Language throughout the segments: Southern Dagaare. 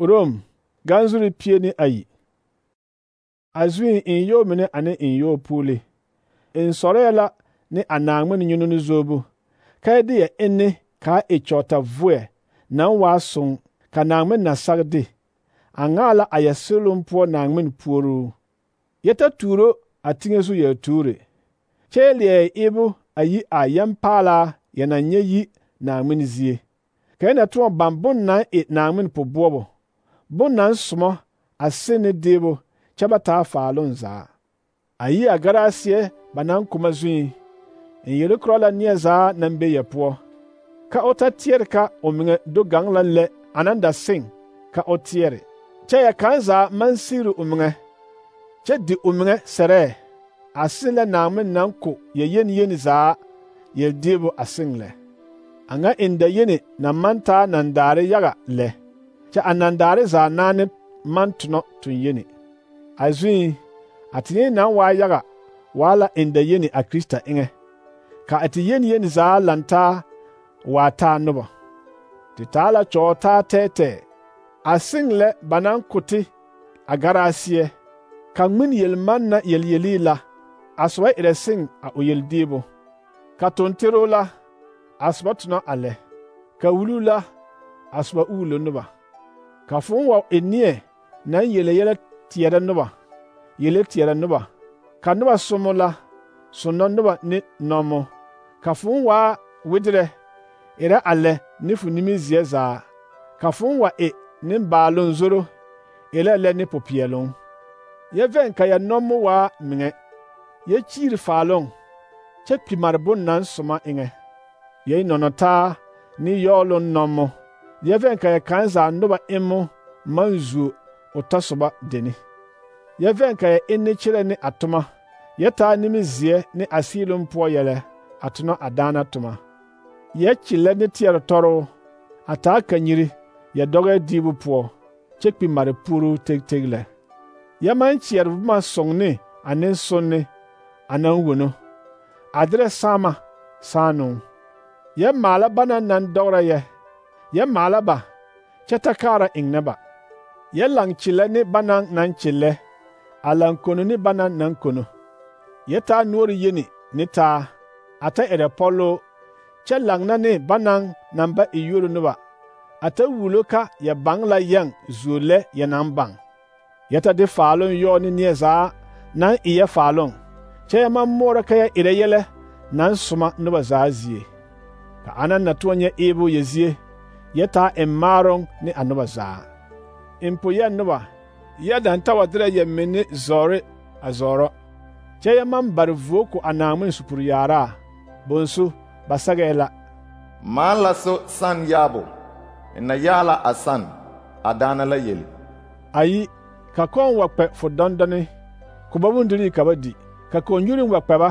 Rom ganzuri pie ne ayi. A zuin in yo mine ane in yo puuli. In sɔrɔɛ la ne a Naŋmen nyɔnɔ zoobu. Ka de ya enne ka e kyɔɔta voɛ naŋ waa soŋ ka Naŋmen na sag de. A ŋaa la a ya seloŋ poɔ Naŋmen puoruu. Yɛ ta tuuro a teŋɛ zu yɛ tuure. Kyɛ leɛ ebu a yi a yɛmpaalaa yɛ na nyɛ yi Naŋmen zie. Ka yɛ na tõɔ baŋ bon naŋ e Naŋmen poboɔbo. Bon naŋ somɔ a se ne deebo kyɛ ba taa faaloŋ zaa. A yi a garaaseɛ ba naŋ koma zuin. In yele korɔ la neɛ zaa naŋ be yɛ poɔ. Ka o ta teɛre ka o meŋɛ do gaŋ la lɛ anaŋ da seŋ ka o teɛre. Kyɛ yɛ kaŋ zaa maŋ sigri o meŋɛ. Kyɛ di o meŋɛ sɛrɛɛ. A seŋ lɛ Naŋmen naŋ ko yɛ yeni zaa yɛl deebo a seŋ lɛ. A ŋa in da yeni na maŋ taa nandaare yaga lɛ. Kyɛ a nandaare zaa naane maŋ tonɔ ton yeni. A zuin, a te yeni naŋ waa yaga waa la in da yeni a Krista eŋɛ. Ka a te yeni zaa lantaa waa taa noba. Te taa la kyɔɔ taa tɛɛtɛɛ. A seŋ lɛ ba naŋ ko te a garaaseɛ. Ka ŋmen yelman na yelyeli la, a soba erɛ seŋ a o yeldeebo. Ka tontero la, a soba tonɔ a lɛ. Ka wulu la, a soba uulo noba. Ka fõõ wa e neɛ naŋ yele yɛlɛ teɛrɛ noba, yele teɛrɛ noba. Ka noba somo la, sonnɔ noba ne nɔmo. Ka fõõ waa wederɛ, erɛ a lɛ ne fo nimizeɛ zaa. Ka fõõ wa e nembaaloŋ zoro, erɛ lɛ ne popeɛloŋ. Yɛ vɛŋ ka yɛ nɔmo waa meŋɛ. Yɛ kyiiri faaloŋ, kyɛ kpi mare bon naŋ soma eŋɛ. Yɛ nɔnɔ taa ne yɔɔloŋ nɔmo. Yɛ vɛŋ ka yɛ kaŋ zaa noba emmo maŋ zuo o tɔsoba deni. Yɛ vɛŋ ka yɛ enne kyerɛ ne a toma. Yɛ taa nimizeɛ ne a seeloŋ poɔ yɛlɛ a tonɔ a daana toma. Yɛ kyelɛ ne teɛre tɔroo, a taa kanyiri yɛ dɔgɛ diibu poɔ, kyɛ kpi mare puuruu teg lɛ. Yɛ maŋ kyeɛre boma soŋ ne a nensonne a naŋ wono. A derɛ saama saanoŋ. Yɛ maala banaŋ naŋ dɔgera yɛ. Yɛ maala ba, kyɛ ta kaara eŋnɛ ba. Yɛ laŋ kyelɛ ne banaŋ naŋ kyellɛ, a laŋ kono ne banaŋ naŋ kono. Yɛ taa noɔre yeni ne taa, a ta erɛ pɔloo, kyɛ laŋna ne banaŋ naŋ ba e yuoro noba, a ta wulo ka yɛ baŋ la yɛŋ zuo lɛ yɛ naŋ baŋ. Yɛ ta de faaloŋ yɔɔ ne neɛ zaa naŋ e yɛ faaloŋ, kyɛ yɛ maŋ moɔrɔ ka yɛ erɛ yɛlɛ naŋ soma noba zaa zie. Ka ana na tõɔ nyɛ eebo yɛ zie, yɛ taa eŋ maaroŋ ne a noba zaa. Empo yɛ noba, yɛ daŋ ta wa derɛ yɛ menne zɔɔre a zɔɔrɔ. Kyɛ yɛ maŋ bare vuo ko a Naŋmen supuri yaaraa, bonsu ba sɛgɛɛ la. Maan la so san yaabo, na yaa la a san, a daana la yeli. Ayi, ka kɔŋ wa kpɛ fo dɔndɔne, ko ba bondirii ka ba di. Ka kɔnyurin wa kpɛ ba,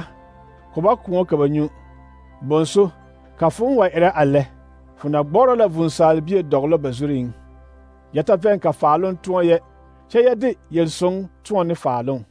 ko ba kõɔ ka ba nyu. Bonsu, ka fõõ wa erɛ a lɛ, fo na gbɔrɔ la vūūsaalbie dɔglɔ ba zuriŋ. Yɛ ta vɛŋ ka faaloŋ tõɔ yɛ, kyɛ yɛ de yel-soŋ tõɔ ne faaloŋ.